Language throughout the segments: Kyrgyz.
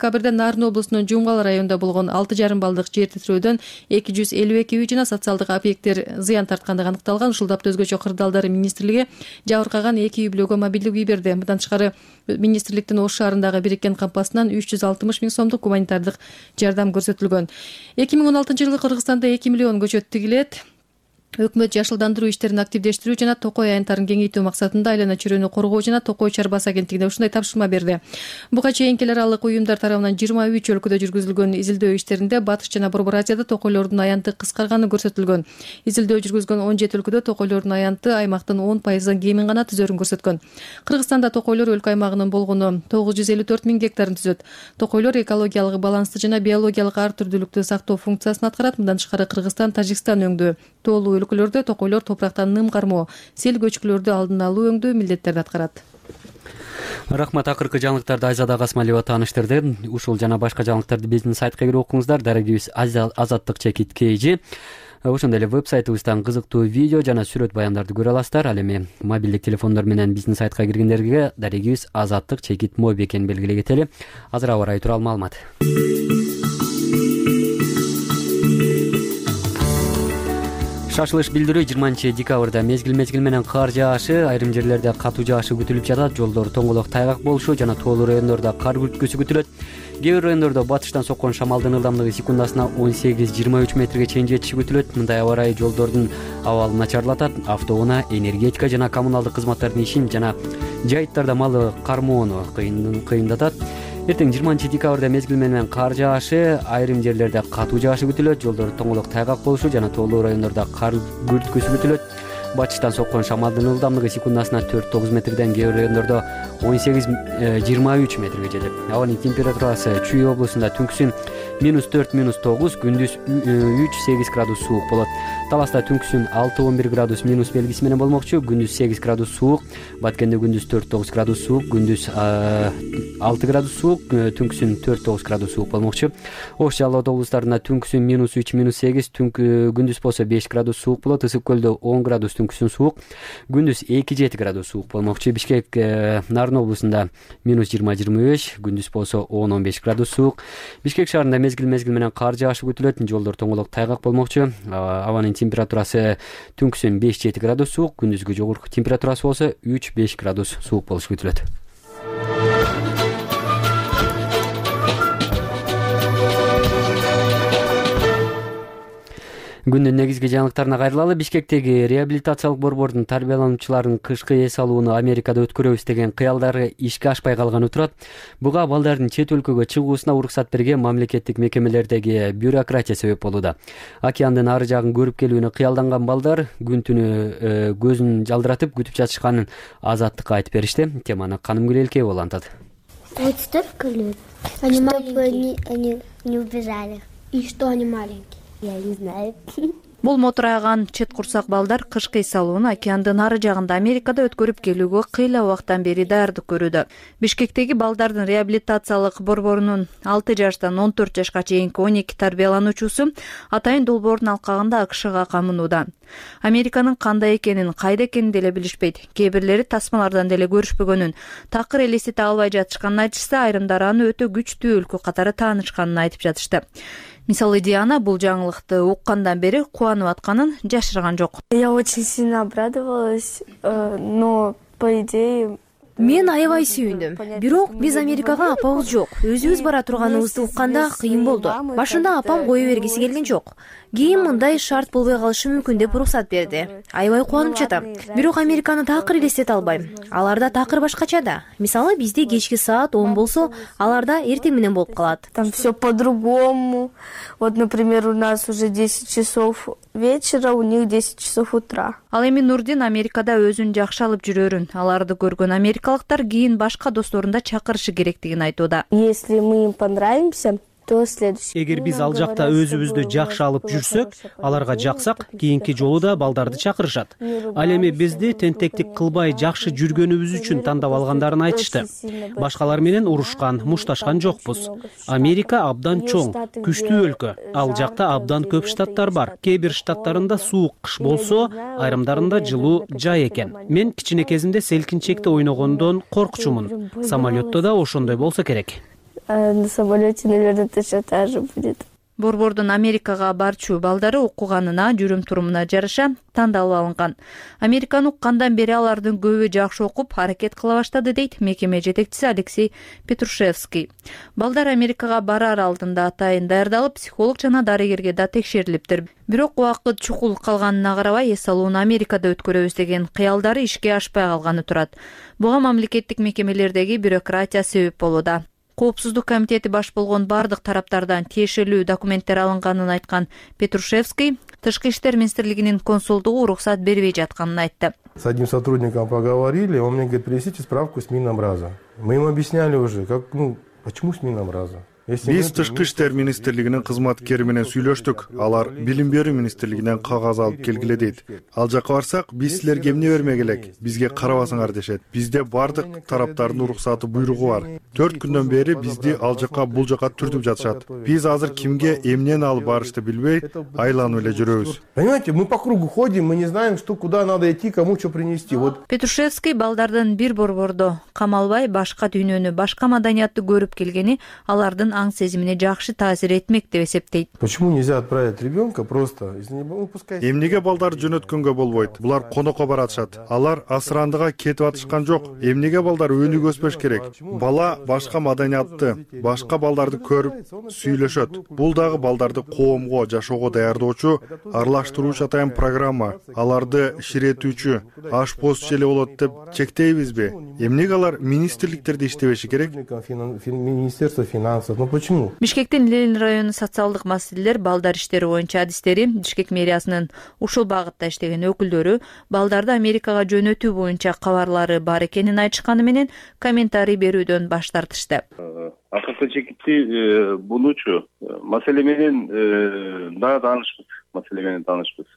декабрда Нарын облусунун Жумгал районунда болгон 6,5 баллдык жер титирөөдөн 252 үй жана социалдык объекттер зыян тарткандыгы аныкталган. Ушул тапта өзгөчө кырдаалдар министрлиги жабыркаган 2 үй бүлөгө мобилдик үй берди. Мындан тышкары министрликтин Ош шаарындагы бириккен кампасынан 360 миң сомдук гуманитардык жардам көрсөтүлгөн. 2016-жылы Кыргызстанда 2 миллион көчөт тигилет. Өкмөт жашылдандыруу иштерин активдештирүү жана токой аянттарын кеңейтүү максатында айлана чөйрөнү коргоо жана токой чарбасы агенттигине ушундай тапшырма берди. Буга чейин эл аралык уюмдар тарабынан 23 өлкөдө жүргүзүлгөн изилдөө иштеринде Батыш жана Борбор Азияда токойлордун аянты кыскарганы көрсөтүлгөн. Изилдөө жүргүзгөн 17 өлкөдө токойлордун аянты аймактын 10% кемин гана түзөрүн көрсөткөн. Кыргызстанда токойлор өлкө аймагынын болгону 954 миң гектарын түзөт. Токойлор экологиялык балансты жана биологиялык ар түрдүүлүктү сактоо функциясын аткарат. Мындан тышкары Кыргызстан, Тажикстан өңдүү тоолуу өлкөлөрдө токойлор топурактан ным кармоо, сел көчкүлөрдү алдын алуу өңдүү милдеттерди аткарат. Рахмат. Акыркы жаңылыктарды Айзада Касмалиева тааныштырды. Ушул жана башка жаңылыктарды биздин сайтка кирип окуңуздар. Дарегибиз Азаттык чекит KG. Ошондой эле веб-сайтыбыздан кызыктуу видео жана сүрөт баяндарды көрө аласыздар. Ал эми мобилдик телефондор менен биздин сайтка киргендерге дарегибиз Азаттык чекит моби экенин белгилей кетели. Азыр аба ырайы тууралуу маалымат. Шашылыш билдирүү 20-декабрда мезгил менен кар жаашы, айрым жерлерде катуу жаашы күтүлүп жатат. Жолдор тоңголок тайгак болушу жана тоолуу райондордо кар күрткүсү күтүлөт. Кээ бир райондордо батыштан соккон шамалдын ылдамдыгы секундасына 18-23 метрге чейин жетиши күтүлөт. Мындай аба ырайы жолдордун абалын начарлатат. Автоунаа, энергетика жана коммуналдык кызматтардын ишин жана жайыттарда малы кармоону кыйындатат. Эртең 20-декабрда мезгил менен кар жаашы, айрым жерлерде катуу жаашы күтүлөт. Жолдор тоңголок тайгак болушу жана тоолуу райондордо кар күрткүсү күтүлөт. Батыштан соккон шамалдын ылдамдыгы секундасына 4-9 метрден, кээ бир райондордо 18-23 метрге жетет. Абанын температурасы Чүй облусунда түнкүсүн -4-9, күндүз 3-8 градус суук болот. Таласта түнкүсүн 6-11 градус минус белгиси менен болмокчу, күндүз 8 градус суук. Баткенде күндүз 4-9 градус суук, күндүз 6 градус суук, түнкүсүн 4-9 градус суук болмокчу. Ош Жалал Абад облустарында түнкүсүн -3-8, күндүз болсо 5 градус суук болот. Ысык көлдө 10 градус түнкүсүн суук, күндүз 2-7 градус суук болмокчу. Бишкек Нарын облусунда -20-25, күндүз болсо 10-15 градус суук. Бишкек шаарында мезгил менен кар жаашы күтүлөт. Жолдор тоңголок тайгак болмокчу. Абанын температурасы түнкүсүн 5-7 градус суук, күндүзгү жогорку температурасы болсо 3-5 градус суук болушу күтүлөт. Күндүн негизги жаңылыктарына кайрылалы. Бишкектеги реабилитациялык борбордун тарбиялануучуларын кышкы эс алууну Америкада өткөрөбүз деген кыялдары ишке ашпай калганы турат. Буга балдардын чет өлкөгө чыгуусуна уруксат берген мамлекеттик мекемелердеги бюрократия себеп болууда. Океандын ары жагын көрүп келүүнү кыялданган балдар күн түнү көзүн жалдыратып күтүп жатышканын Азаттыкка айтып беришти. Теманы Канымгүл Элкеева улантат. Вот столько лет. Чтобы они не убежали. И что они маленькие? Я не знаю. Бул мотураган чет курсак балдар кышкы эс алууну океандын ары жагында Америкада өткөрүп келүүгө кыйла убакыттан бери даярдык көрүүдө. Бишкектеги балдардын реабилитациялык борборунун 6 жаштан 14 жашка чейинки 12 тарбиялануучусу атайын долбоордун алкагында АКШга камынууда. Американын кандай экенин, кайда экенин деле билишпейт. Кээ бирлери тасмалардан деле көрүшпөгөнүн, такыр элестете албай жатышканын айтышса, айрымдары аны өтө күчтүү өлкө катары таанышканын айтып жатышты. Мисалы Диана бул жаңылыкты уккандан бери кубанып атканын жашырган жок. Я очень сильно обрадовалась, но по идее Мен аябай сүйүндүм. Бирок биз Америкага апабыз жок. Өзүбүз бара турганыбызды укканда кыйын болду. Башында апам кое бергиси келген жок. Кийин мындай шарт болбой калышы мүмкүн деп уруксат берди. Аябай кубанып жатам. Бирок Американы такыр элестете албайм. Аларда такыр башкача да. Мисалы бизде кечки саат 10 болсо, аларда эртең менен болуп калат. Там все по-другому. Вот, например, у нас уже 10 часов вечера, у них 10 часов утра. Ал эми Нурдин Америкада өзүн жакшы алып жүрөрүн, аларды көргөн америкалыктар кийин башка досторун да чакырышы керектигин айтууда. Если мы им понравимся, Эгер биз ал жакта өзүбүздү жакшы алып жүрсөк, аларга жаксак, кийинки жолу да балдарды чакырышат. Ал эми бизди тентектик кылбай жакшы жүргөнүбүз үчүн тандап алгандарын айтышты. Башкалар менен урушкан, мушташкан жокпуз. Америка абдан чоң, күчтүү өлкө. Ал жакта абдан көп штаттар бар. Кээ бир штаттарында суук кыш болсо, айрымдарында жылуу жай экен. Мен кичине кезимде селкинчекте ойногондон коркчумун. Самолетто да ошондой болсо керек. А на самолете, наверное, точно так же будет. Борбордун Америкага барчу балдары окуганына, жүрүм-турумуна жараша тандалып алынган. Американы уккандан бери алардын көбү жакшы окуп, аракет кыла баштады, дейт мекеме жетекчиси Алексей Петрушевский. Балдар Америкага барар алдында атайын даярдалып, психолог жана дарыгерге да текшерилиптир. Бирок убакыт чукул калганына карабай, эс алууну Америкада өткөрөбүз деген кыялдары ишке ашпай калганы турат. Буга мамлекеттик мекемелердеги бюрократия себеп болууда. Коопсуздук комитети баш болгон бардык тараптардан тиешелүү документтер алынганын айткан Петрушевский Тышкы иштер министрлигинин консулдугу уруксат бербей жатканын айтты. С одним сотрудником поговорили, он мне говорит, принесите справку с Минобраза. Мы им объясняли уже, почему с Минобраза. Биз Тышкы иштер министрлигинин кызматкери менен сүйлөштүк. Алар билим берүү министрлигинен кагаз алып келгиле дейт. Ал жака барсак, биз силерге эмне бермек элек? Бизге карабасыңар дешет. Бизде бардык тараптардын уруксаты буйругу бар. 4 күндөн бери бизди ал жака бул жака түртүп жатышат. Биз азыр кимге эмнени алып барышты билбей, айланып эле жүрөбүз. Понимаете, мы по кругу ходим, мы не знаем, что куда надо идти, кому что принести. Вот. Петрушевский балдардын бир борбордо камалбай башка дүйнөнү, башка маданиятты көрүп келгени алардын аң сезимине жакшы таасир этмек деп эсептейт. Почему нельзя отправить ребенка просто? Эмнеге балдар жөнөткөнгө болбойт? Булар конокко баратышат. Алар асырандыга кетип атышкан жок. Эмнеге балдар өнүгө өспөш керек? Бала башка маданиятты, башка балдарды көрүп сүйлөшөт. Бул дагы балдарды коомго, жашоого даярдоочу, аралаштыруучу атайын программа. Аларды ширетүүчү, ашпозчу эле болот деп чектейбизби? Эмнеге алар министрликтерде иштебеши керек? Министерство финансов. Почему? Бишкектин Ленин району социалдык маселелер, балдар иштери боюнча адистери, Бишкек мэриясынын ушул багытта иштеген өкүлдөрү балдарды Америкага жөнөтүү боюнча кабарлары бар экенин айтышканы менен комментарий берүүдөн баш тартышты. Акыркы чекитти бунучу маселе менен дагы таанышпыз.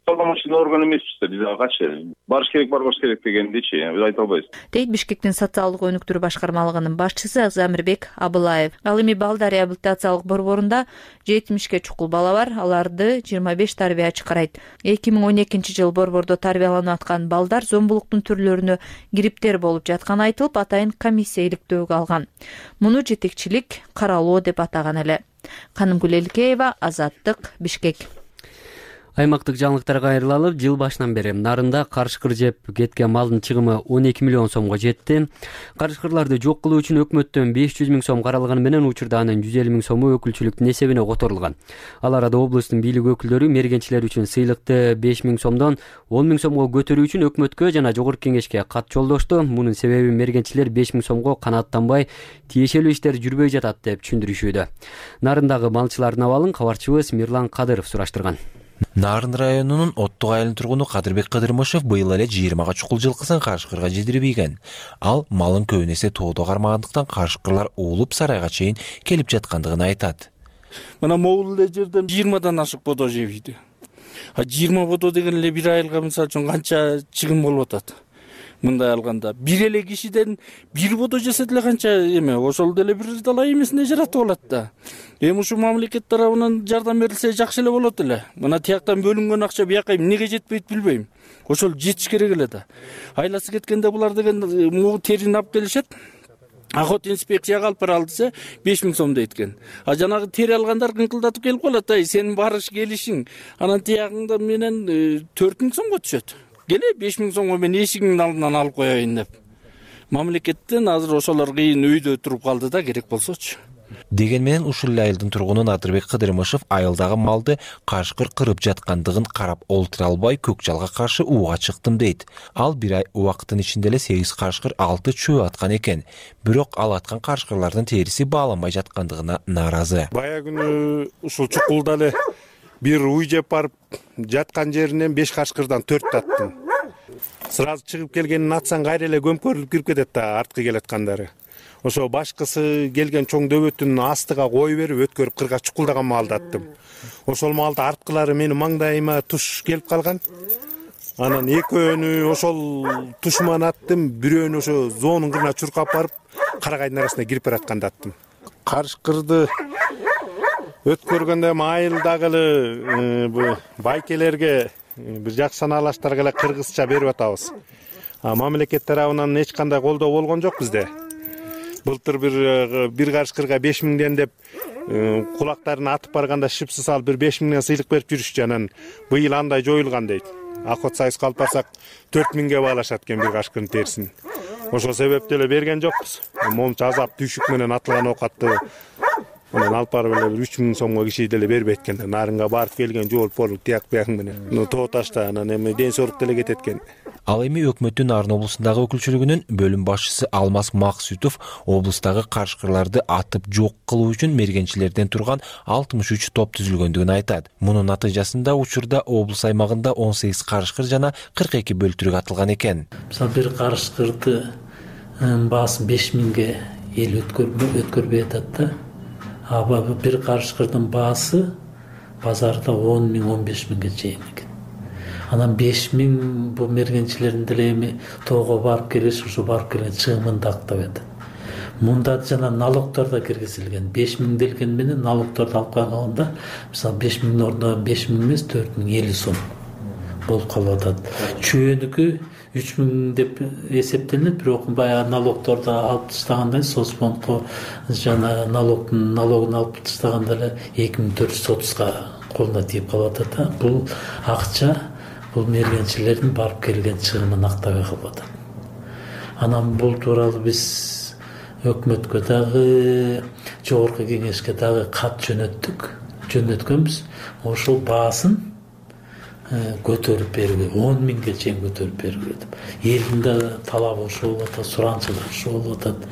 Полномочный орган эмеспиз да, биз качы барыш керек дегендичи айта албайбыз. Дейт Бишкектин социалдык өнүктүрүү башкармалыгынын башчысы Замирбек Абылаев. Ал эми балдар реабилитациялык борборунда 70ке чукул бала бар, аларды 25 тарбиячы карайт. 2012-жыл борбордо тарбияланып аткан балдар зомбулуктун түрлөрүнө кириптер болуп жатканы айтылып, атайын комиссия иликтөөгө алган. Муну жетекчилик каралоо деп атаган эле. Канымгүл Элкеева, Азаттык, Бишкек. Аймактык жаңылыктарга кайрылалып, жыл башынан бери нарында карышкыр жеп кеткен малдын чыгымы 12 миллион сомго жетти. Карышкырларды жок кылуу үчүн өкмөттөн 500 миң сом каралганы менен учурда анын 150 миң сому өкүлчүлүктүн эсебине которулган. Ал арада облустун бийлик өкүлдөрү мергенчилер үчүн сыйлыкты 5 миң сомдон 10 миң сомго көтөрүү үчүн өкмөткө жана жогорку кеңешке кат жолдошту. Мунун себеби мергенчилер 5 миң сомго канааттанбай, тиешелүү иштер жүрбөй жатат деп түшүндүрүшүүдө. Нарындагы малчылардын абалын кабарчыбыз Мирлан Кадыров сураштырган. Нарын районунун Оттук айылынын тургуну Кадырбек Кыдырмышев быйыл эле 20 чукул жылкысын карышкырга жедирбейген. Ал малын көбүн эсе тоодо кармагандыктан карышкырлар уулуп сарайга чейин келип жаткандыгын айтат. Мына могул эле жерден 20дан ашык бодо жебейди. 20 бодо деген эле бир айылга мисалы үчүн канча чыгым болуп атат. Мындай алганда бир эле кишиден бир бодо жесе деле канча эме, ошол деле бир далай эмесине жаратып алат да. Эми ушул мамлекет тарабынан жардам берилсе жакшы эле болот эле. Мына тияктан бөлүнгөн акча бияка эмнеге жетпейт билбейм. Ошол жетиш керек эле да. Айласы кеткенде булар деген могу терини алып келишет. Охот инспекцияга алып бара алдыса 5 миң сом дейт экен. Жанагы тери алгандар кыңкылдатып келип калат, сенин барыш келишиң анан тиягыңда менен 4 миң сомго түшөт. Келе 5 миң сомго мен эшигиңдин алдынан алып коеюн деп. Мамлекеттен азыр ошолор кыйын өйдө туруп калды да, керек болсочу. Деген менен ушул айылдын тургуну Надырбек Кыдырмышев айылдагы малды карышкыр кырып жаткандыгын карап олтура албай көк жалга каршы ууга чыктым дейт. Ал бир ай убакыттын ичинде эле 8 карышкыр 6 чөө аткан экен. Бирок ал аткан карышкырлардын териси бааланбай жаткандыгына нааразы. Бая күнү ушул чукулда эле бир уй жеп барып жаткан жеринен 5 карышкырдан 4 таттым. Сразу чыгып келгенин атсаң кайра эле көмкөрүлүп кирип кетет да, арткы келаткандары. Ошо башкысы келген чоң дөбөттүн астыга кой берип өткөрүп кырга чукулдаган малды аттым. Ошол малды арткылары менин маңдайыма туш келип калган. Анан экөөнү ошол тушман аттым, бирөөнү ошо зоонун кырына чуркап барып, карагайдын арасына кирип баратканда аттым. Карышкырды өткөргөндө айылдагы эле байкелерге бир жакшы санаалаштарга эле кыргызча берип атабыз. Мамлекет тарабынан эч кандай колдоо болгон жок бизде. Былтыр бир карышкырга 5000ден деп кулактарын атып барганда шипсы салып 5000ден сыйлык берип жүрүшчү. Анан быйыл андай жоюлган дейт. Охот сайыска алып барсак 4000ге баалашат экен бир карышкырдын терисин. Ошол себептен эле берген жокпуз. Момчу азап түйшүк менен атылган оокатты анан алып барып эле 3000 сомго киши деле бербейт экен. Нарынга барып келген жол полу тияк бияк менен. Тоо ташта анан эми ден соолук деле кетет экен. Ал эми өкмөттүн Нарын облусундагы өкүлчүлүгүнүн бөлүм башчысы Алмаз Максутов облустагы карышкырларды атып жок кылуу үчүн мергенчилерден турган 63 топ түзүлгөндүгүн айтат. Мунун натыйжасында учурда облус аймагында 18 карышкыр жана 42 бөлтүрүк атылган экен. Мисалы бир карышкырды баасын 5000ге эл өткөрбөй атат да. Бир карышкырдын баасы базарда 10.000-15.000ге чейин экен. Анан 5000 бул мергенчилердин деле эми тоого барып келиш, ушу барып келген чыгымын да актап атат. Мында жана налогдор да киргизилген. 5000 делген менен налогдорду алып калганда, мисалы 5000 ордуна 5000 эмес 4050 сом болуп калып атат. Чөөнүкү 3000 деп эсептелет, бирок баягы налогдорду алып таштагандан соцфондко жана налогун алып таштаганда эле 2430га колуна тийип калып атат. Бул акча бул мергенчилердин барып келген чыгымын актабай калып атат. Анан бул тууралуу биз өкмөткө дагы, жогорку кеңешке дагы кат жөнөткөнбүз. Ошол баасын көтөрүп берүүгө, 10.000ге чейин көтөрүп берүүгө деп. Элдин да талабы ошол болуп атат, суранчылыгы ошол болуп атат.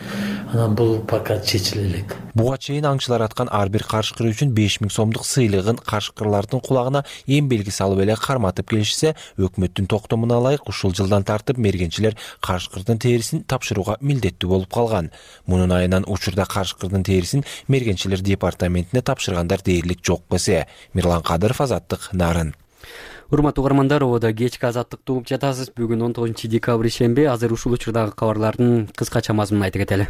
Анан бул пока чечиле элек. Буга чейин аңчылар аткан ар бир карышкыр үчүн 5000 сомдук сыйлыгын карышкырлардын кулагына эң белги салып эле карматып келишсе, өкмөттүн токтомуна ылайык ушул жылдан тартып мергенчилер карышкырдын терисин тапшырууга милдеттүү болуп калган. Мунун айынан учурда карышкырдын терисин мергенчилер департаментине тапшыргандар дээрлик жок эсе. Мирлан Кадыров, Азаттык, Нарын. Урматтуу угармандар, ободо кечки азаттыкты угуп жатасыз. Бүгүн 19 декабрь шемби. Азыр ушул учурдагы кабарлардын кыскача мазмунун айтып кетели.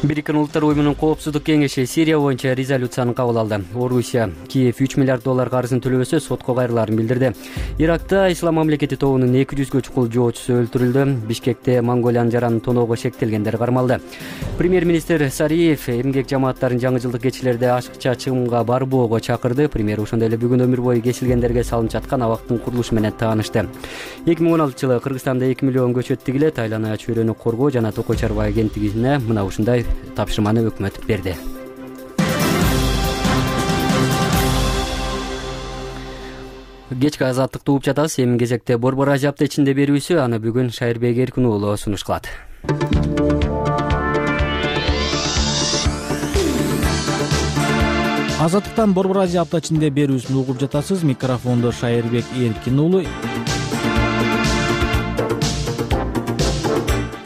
Бириккен Улуттар уюмунун коопсуздук кеңеши Сирия боюнча резолюцияны кабыл алды. Орусия Киев $3 миллиард карызын төлөбөсө сотко кайрылаарын билдирди. Иракта Ислам мамлекети тобунун 200гө чукул жоочусу өлтүрүлдү. Бишкекте Монголиянын жаранын тоноого шектелгендер кармалды. Премьер-министр Сариев эмгек жамааттарын жаңы жылдык кечилерде ашыкча чыгымга барбоого чакырды. Премьер ошондой эле бүгүн өмүр бою кесилгендерге салынып жаткан абактын курулушу менен таанышты. 2016-жылы Кыргызстанда 2 миллион көчөт тигилет. Айлана чөйрөнү коргоо жана токой чарба агенттигине мына ушундай тапшырманы өкмөт берди. Кечки азаттыкты угуп жатасыз. Эми кезекте Борбор Азия апта ичинде берүүсү, аны бүгүн Шайырбек Эркин уулу сунуш кылат. Азаттыктан Борбор Азия апта ичинде берүүсүн угуп жатасыз. Микрофондо Шайырбек Эркин уулу.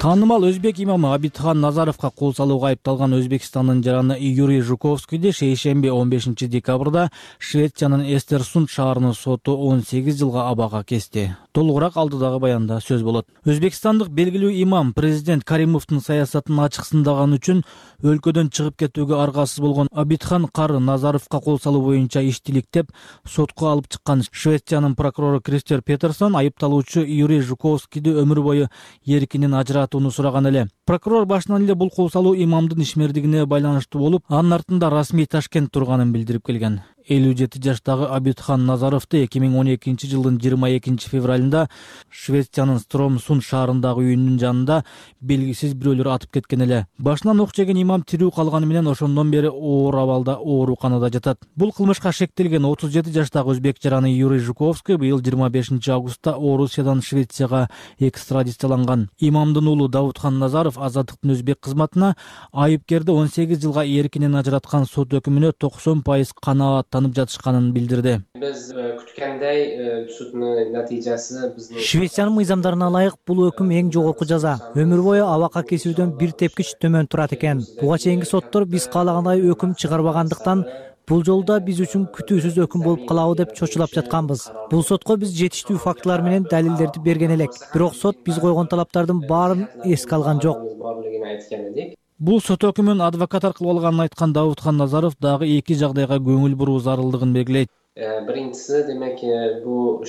Таанымал өзбек имамы Абидхан Назаровго кол салууга айыпталган Өзбекстандын жараны Юрий Жуковскийди шейшемби 15 декабрда Швециянын Эстерсунд шаарынын соту 18 жылга абага кести. Толугураак алдыдагы баянда сөз болот. Өзбекстандык белгилүү имам президент Каримовдун саясатын ачыксындаган үчүн өлкөдөн чыгып кетүүгө аргасыз болгон Абидхан кары Назаровго кол салуу боюнча иштиликтеп сотко алып чыккан Швециянын прокурору Кристер Петерсон айыпталуучу Юрий Жуковскийди өмүр бою эркинен ажыратууну сураган эле. Прокурор башынан эле бул кол салуу имамдын ишмердигине байланыштуу болуп, анын артында расмий Ташкент турганын билдирип келген. 57 жаштагы Абидхан Назаровду 2012 жылдын 22 февралында Швециянын Стромсунд шаарындагы үйүнүн жанында белгисиз бирөөлөр атып кеткен эле. Башынан ок жеген имам тирүү калганы менен ошондон бери оор абалда ооруканада жатат. Бул кылмышка шектелген 37 жаштагы өзбек жараны Юрий Жуковский быйыл 25 августта Орусиядан Швецияга экстрадицияланган. Имамдын уулу Давудхан Назаров Азаттыктын өзбек кызматына айыпкерди 18 жылга эркинен ажыраткан сот өкүмүнө 90% канаат танып жатышканын билдирди. Биз күткөндөй суддун натыйжасы биздин Швециянын мыйзамдарына ылайык бул өкүм эң жогорку жаза. Өмүр бою абакка кесүүдөн бир тепкич төмөн турат экен. Буга чейинки соттор биз каалагандай өкүм чыгарбагандыктан бул жолу да биз үчүн күтүүсүз өкүм болуп калабы деп чочулап жатканбыз. Бул сотко биз жетиштүү фактылар менен далилдерди берген элек. Бирок сот биз койгон талаптардын баарын эске алган жок. Бул сот өкүмүн адвокат аркылуу алганын айткан Давудхан Назаров дагы эки жагдайга көңүл буруу зарылдыгын белгилейт. Birincisi demek bu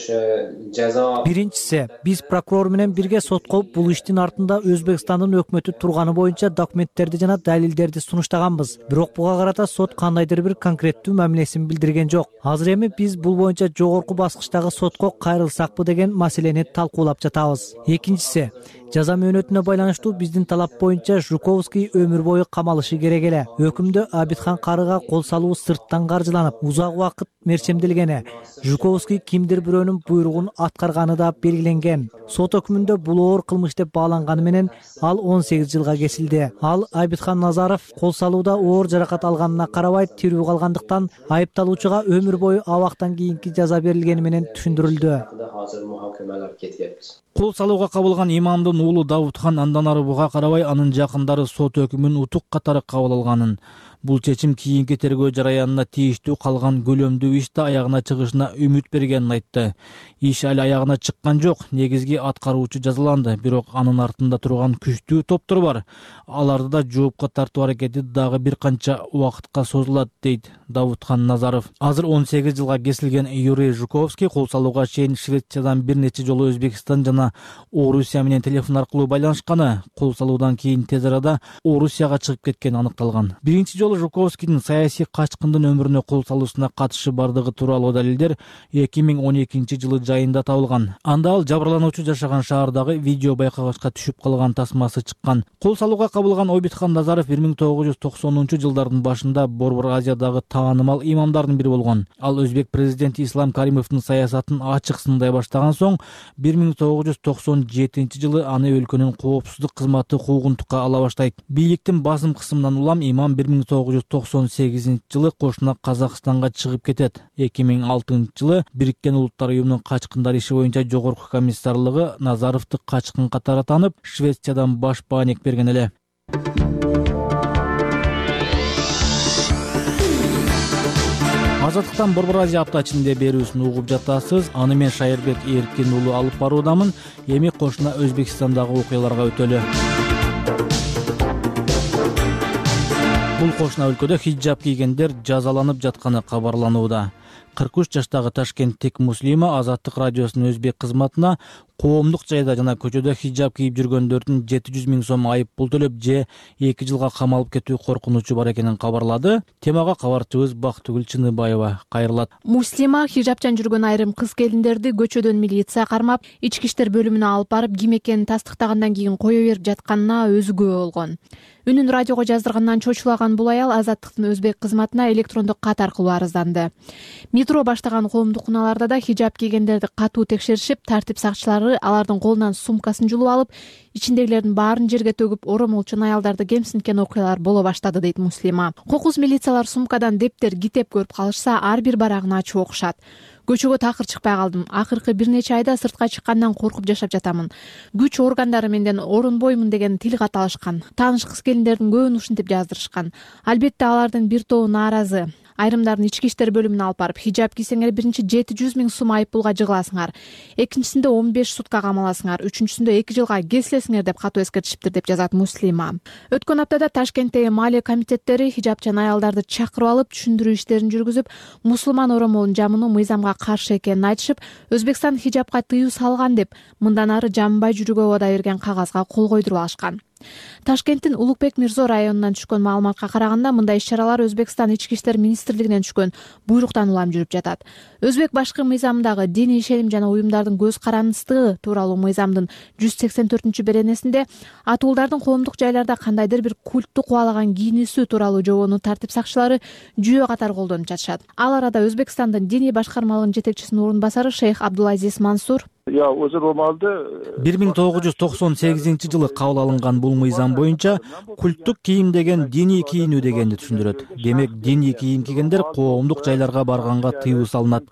ceza. Биринчиси, биз прокурор менен бирге сотко бул иштин артында Өзбекстандын өкмөтү турганы боюнча документтерди жана далилдерди сунуштаганбыз. Бирок буга карата сот кандайдыр бир конкреттүү мамилесин билдирген жок. Азыр эми биз бул боюнча жогорку баскычтагы сотко кайрылсакпы деген маселени талкуулап жатабыз. Экинчиси, жаза мөөнөтүнө байланыштуу биздин талап боюнча Жуковский өмүр бою камалышы керек эле. Өкүмдө Абитхан карыга кол салуу сырттан каржыланып, узак убакыт мерчемделгени, Жуковский кимдир бирөөнүн буйругун аткарганы да белгиленген. Сот өкүмүндө бул оор кылмыш деп бааланганы менен ал 18 жылга кесилди. Ал Абитхан Назаров кол салууда оор жаракат алганына карабай тирүү калгандыктан айыпталуучуга өмүр бою абактан кийинки жаза берилгени менен түшүндүрүлдү. Кол салууга кабылган имамдын уулу Давутхан андан ары буга карабай анын жакындары сот өкүмүн утук катары кабыл алганын, бул чечим кийинки тергөө жараянына тийиштүү калган көлөмдүү ишти аягына чыгышына үмүт бергенин айтты. Иш али аягына чыккан жок, негизги аткаруучу жазаланды, бирок анын артында турган күчтүү топтор бар. Аларды да жоопко тартуу аракети дагы бир канча убакытка созулат, дейт Давутхан Назаров. Азыр 18 жылга кесилген Юрий Жуковский кол салууга чейин Швециядан бир нече жолу Өзбекстан жана Орусия менен телефон аркылуу байланышканы, кол салуудан кийин тез арада Орусияга чыгып кеткени аныкталган. Биринчи жолу Жуковскийдин саясий качкындын өмүрүнө кол салуусуна катышы бардыгы тууралуу далилдер 2012 жылы жайында табылган. Анда ал жабырлануучу жашаган шаардагы видео байкагычка түшүп калган тасмасы чыккан. Кол салууга кабылган Обитхан Назаров 1990 жылдардын башында Борбор Азиядагы таанымал имамдардын бири болгон. Ал өзбек президенти Ислам Каримовдун саясатын ачык сындай баштаган соң 1997 жылы аны өлкөнүн коопсуздук кызматы куугунтукка ала баштайт. Бийликтин басым кысымынан улам имам 1998 жылы кошуна Казакстанга чыгып кетет. 2006 жылы Бириккен Улуттар уюмунун качкындар иши боюнча жогорку комиссарлыгы Назаровду качкын катары таанып, Швециядан баш бааник берген эле. Азаттыктан Борбор Азия апта ичинде берүүсүн угуп жатасыз. Аны мен Шайырбек Эркин уулу алып баруудамын. Эми кошуна Өзбекстандагы окуяларга өтөлү. Бул кошуна өлкөдө хиджаб кийгендер жазаланып жатканы кабарланууда. 43 жаштагы ташкенттик Муслима Азаттык радиосунун өзбек кызматына коомдук жайда жана көчөдө хиджаб кийип жүргөндөрдүн 700 000 сом айып пул төлөп же 2 жылга камалып кетүү коркунучу бар экенин кабарлады. Темага кабарчыбыз Бактыгүл Чыныбаева кайрылат. Муслима хиджабчан жүргөн айрым кыз келиндерди көчөдөн милиция кармап, ички иштер бөлүмүнө алып барып, ким экенин тастыктагандан кийин кое берип жатканына өзү күбө болгон. Үнүн радиого жаздыргандан чочулаган бул аял Азаттыктын өзбек кызматына электрондук кат аркылуу арызданды. Метро баштаган коомдук унааларда да хиджаб кийгендерди катуу текшеришип, тартип сакчылары алардын колунан сумкасын жулуп алып, ичиндегилердин баарын жерге төгүп, оромолчун аялдарды кемсинткен окуялар боло баштады, дейт Муслима. Кокус милициялар сумкадан дептер, китеп көрүп калышса, ар бир барагын ачып окушат. Көчөгө такыр чыкпай калдым. Акыркы бир нече айда сыртка чыккандан коркуп жашап жатамын. Күч органдары менден орунбоймун деген тил кат алышкан. Тааныш кыз келиндердин көбүн ушинтип жаздырышкан. Албетте алардын бир тобу нааразы. Айрымдарын ички иштер бөлүмүнө алып барып, хиджаб кийсеңер биринчи 700 000 сом айып пулга жыгыласыңар. Экинчисинде 15 сутка камаласыңар. Үчүнчүсүндө 2 жылга кесилесиңер деп катуу эскертишиптир, деп жазат Муслима. Өткөн аптада Ташкенттеги маалия комитеттери хиджабчан аялдарды чакырып алып, түшүндүрүү иштерин жүргүзүп, мусулман оромолун жамынуу мыйзамга каршы экенин айтышып, Өзбекстан хиджабка тыюу салган деп, мындан ары жамбай жүрүүгө убада берген кагазга кол койдуруп алышкан. Ташкенттин Улукбек Мирзо районунан түшкөн маалыматка караганда, мындай иш-чаралар Өзбекстан ички иштер министрлигинен түшкөн буйруктан улам жүрүп жатат. Өзбек башкы мыйзамындагы диний ишеним жана уюмдардын көз карандысыздыгы тууралуу мыйзамдын 184-беренесинде атуулдардын коомдук жайларда кандайдыр бир культту кубалаган кийинүүсү тууралуу жобону тартип сакчылары жүйө катары колдонуп жатышат. Ал арада Өзбекстандын диний башкармалыгынын жетекчисинин орун басары шейх Абдулазиз Мансур 1998 жылы кабыл алынган бул мыйзам боюнча культтук кийим деген диний кийинүү дегенди түшүндүрөт. Демек, диний кийим кийгендер коомдук жайларга барганга тыюу салынат.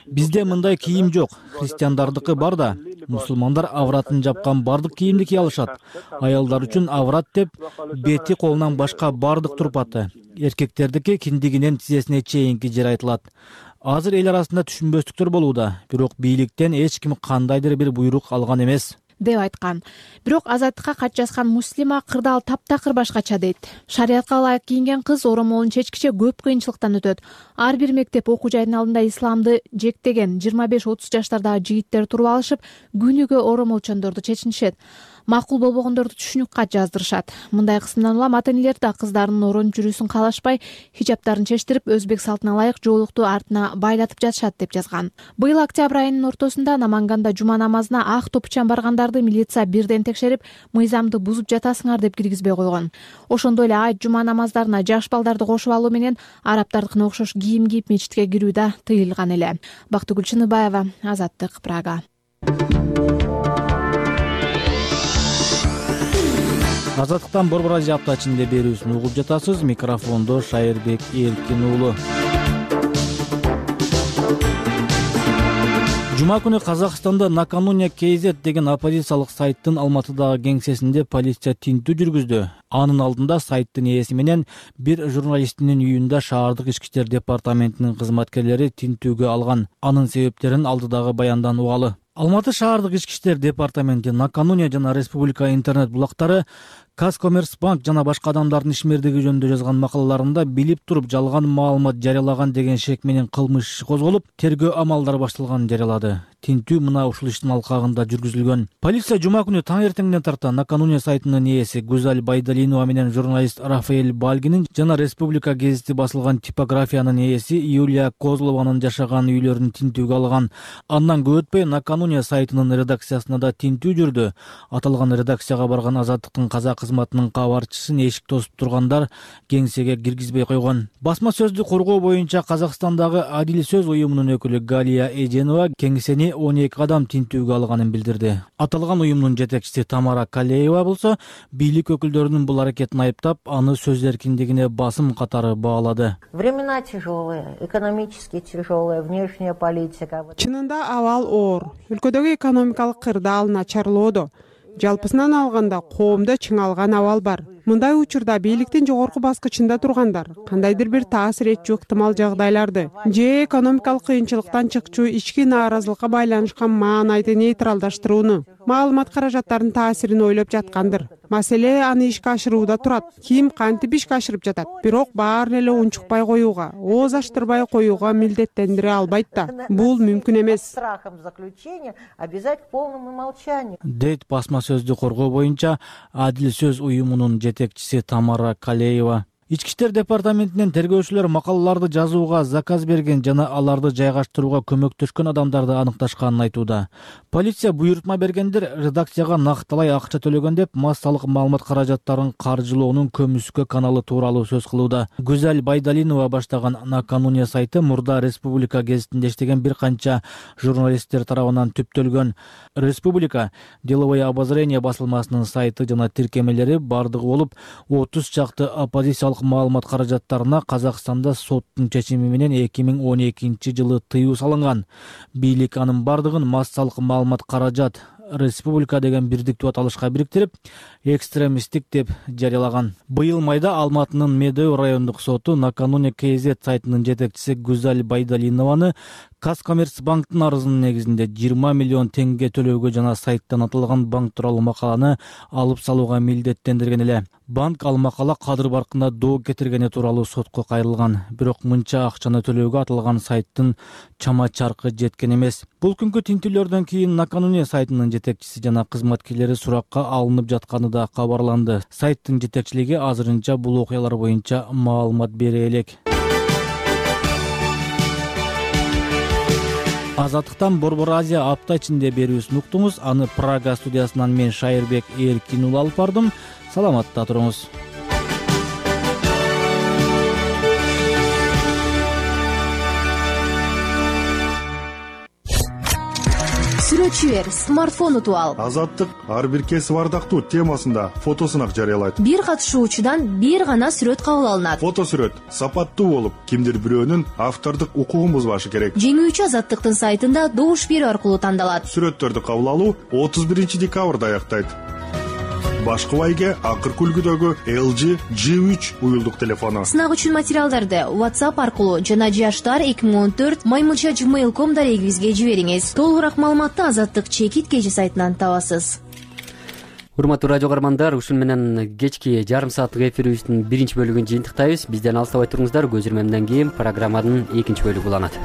Бизде мындай кийим жок. Христиандардыкы бар да. Мусулмандар авратын жапкан бардык кийимди кие алышат. Аялдар үчүн аврат деп бети колунан башка бардык турпаты. Эркектердики киндигинен тизесине чейинки жер айтылат. Азыр эл арасында түшүнбөстүктөр болууда, бирок бийликтен эч ким кандайдыр бир буйрук алган эмес. деп айткан. Бирок Азаттыкка кат жазган Муслима кырдаал таптакыр башкача дейт. Шариятка ылайык кийинген кыз оромолун чечкиче көп кыйынчылыктан өтөт. Ар бир мектеп окуу жайдын алдында исламды жектеген 25-30 жаштардагы жигиттер туруп алышып, күнүгө оромолчондорду чечинишет. Макул болбогондорду түшүнүк кат жаздырышат. Мындай кысымдан улам ата-энелер да кыздарынын ороонуп жүрүүсүн каалашпай, хижаптарын чечтирип, өзбек салтына ылайык жоолукту артына байлатып жатышат деп жазган. Быйыл октябрь айынын ортосунда Наманганда жума намазына ак топучан баргандарды милиция бирден текшерип, мыйзамды бузуп жатасыңар деп киргизбей койгон. Ошондой эле айт жума намаздарына жаш балдарды кошуп алуу менен арабтардыкына окшош кийим кийип мечитке кирүү да тыйылган эле. Бактыгүл Чыныбаева, Азаттык, Прага. Азаттыктан Борбор Азия апта ичинде берүүсүн угуп жатасыз. Микрофондо Шайырбек Эркин уулу. Жума күнү Казакстанда Накануня KZ деген оппозициялык сайттын Алматыдагы кеңсесинде полиция тинтүү жүргүздү. Анын алдында сайттын ээси менен бир журналистинин үйүндө шаардык ички иштер департаментинин кызматкерлери тинтүүгө алган. Анын себептерин алдыдагы баяндан угалы. Алматы шаардык ички иштер департаменти Накануня жана Республика интернет булактары Казкоммерцбанк жана башка адамдардын ишмердиги жөнүндө жазган макалаларында билип туруп жалган маалымат жарыялаган деген шек менен кылмыш иши козголуп, тергөө амалдары башталганын жарыялады. Тинтүү мына ушул иштин алкагында жүргүзүлгөн. Полиция жума күнү таң эртеңден тарта Накануня сайтынын ээси Гүзал Байдалинова менен журналист Рафаэль Бальгинин жана Республика гезити басылган типографиянын ээси Юлия Козлованын жашаган үйлөрүн тинтүүгө алган. Андан көп өтпөй Накануня сайтынын редакциясына да тинтүү жүрдү. Аталган редакцияга барган Азаттыктын казак кызматынын кабарчысын эшик тосуп тургандар кеңсеге киргизбей койгон. Басма сөздү коргоо боюнча Казакстандагы Адил сөз уюмунун өкүлү Галия Эженова кеңсени 12 адам тинтүүгө алганын билдирди. Аталган уюмдун жетекчиси Тамара Калеева болсо бийлик өкүлдөрүнүн бул аракетин айыптап, аны сөз эркиндигине басым катары баалады. Времена тяжелые, экономически тяжелые, внешняя политика. Чынында абал оор. Өлкөдөгү экономикалык кырдаал начарлоодо. Жалпысынан алганда коомдо чыңалган абал бар. Мындай учурда бийликтин жогорку баскычында тургандар кандайдыр бир таасир этчү ыктымал жагдайларды же экономикалык кыйынчылыктан чыкчу ички нааразылыкка байланышкан маанайды нейтралдаштырууну, маалымат каражаттарынын таасирин ойлоп жаткандыр. Маселе аны ишке ашырууда турат. Ким кантип ишке ашырып жатат. Бирок баарын эле унчукпай коюуга, ооз ачтырбай коюуга милдеттендире албайт да. Бул мүмкүн эмес. Страхом заключения обязать к полному молчанию. Дейт басма сөздү коргоо боюнча Адил сөз уюмунун жетекчиси Тамара Калеева. Ички иштер департаментинен тергөөчүлөр макалаларды жазууга заказ берген жана аларды жайгаштырууга көмөктөшкөн адамдарды аныкташканын айтууда. Полиция буйрутма бергендер редакцияга накталай акча төлөгөн деп массалык маалымат каражаттарын каржылоонун көмүскө каналы тууралуу сөз кылууда. Гүзал Байдалинова баштаган Накануня сайты мурда Республика гезитинде иштеген бир канча журналисттер тарабынан түптөлгөн. Республика деловое обозрение басылмасынын сайты жана тиркемелери бардыгы болуп 30 чакты оппозициялык маалымат каражаттарына Казакстанда соттун чечими менен 2012-жылы тыюу салынган. Бийлик анын бардыгын массалык маалымат каражат Республика деген бирдиктүү аталышка бириктирип, экстремисттик деп жарыялаган. Быйыл майда Алматынын Медеу райондук соту Накануня KZ сайтынын жетекчиси Гүзал Байдалинованы Казкоммерцбанктын арызынын негизинде 20 миллион теңге төлөөгө жана сайттан аталган банк тууралуу макаланы алып салууга милдеттендирген эле. Банк ал макала кадыр баркында доо кетиргени тууралуу сотко кайрылган. Бирок мынча акчаны төлөөгө аталган сайттын чама чаркы жеткен эмес. Бул күнкү тинтүүлөрдөн кийин Накануня сайтынын жетекчиси жана кызматкерлери суракка алынып жатканы да кабарланды. Сайттын жетекчилиги азырынча бул окуялар боюнча маалымат бере элек. Азаттыктан Борбор Азия апта ичинде берүүсүн уктуңуз. Аны Прага студиясынан мен Шайырбек Эркин уулу алып бардым. Саламатта туруңуз. Сүрөтчү бер, смартфон утуп ал. Азаттык ар бир кесип ардактуу темасында фотосунак жарыялайт. Бир катышуучудан бир гана сүрөт кабыл алынат. Фотосүрөт сапаттуу болуп, кимдир бирөөнүн автордук укугун бузбашы керек. Жеңүүчү Азаттыктын сайтында добуш берүү аркылуу тандалат. Сүрөттөрдү кабыл алуу 31 декабрда аяктайт. Башкыбайга акыркы үлгүдөгү LG G3 уюлдук телефону. Сынак үчүн материалдарды WhatsApp аркылуу жана jashtar2014 @gmail.com дарегибизге жибериңиз. Толугураак маалыматты Азаттык чекит кежи сайтынан табасыз. урматтуу радио каармандар, ушун менен кечки жарым сааттык эфирибиздин биринчи бөлүгүн жыйынтыктайбыз. Бизден алыстабай туруңуздар. Көз ирмемден кийин программанын экинчи бөлүгү уланат.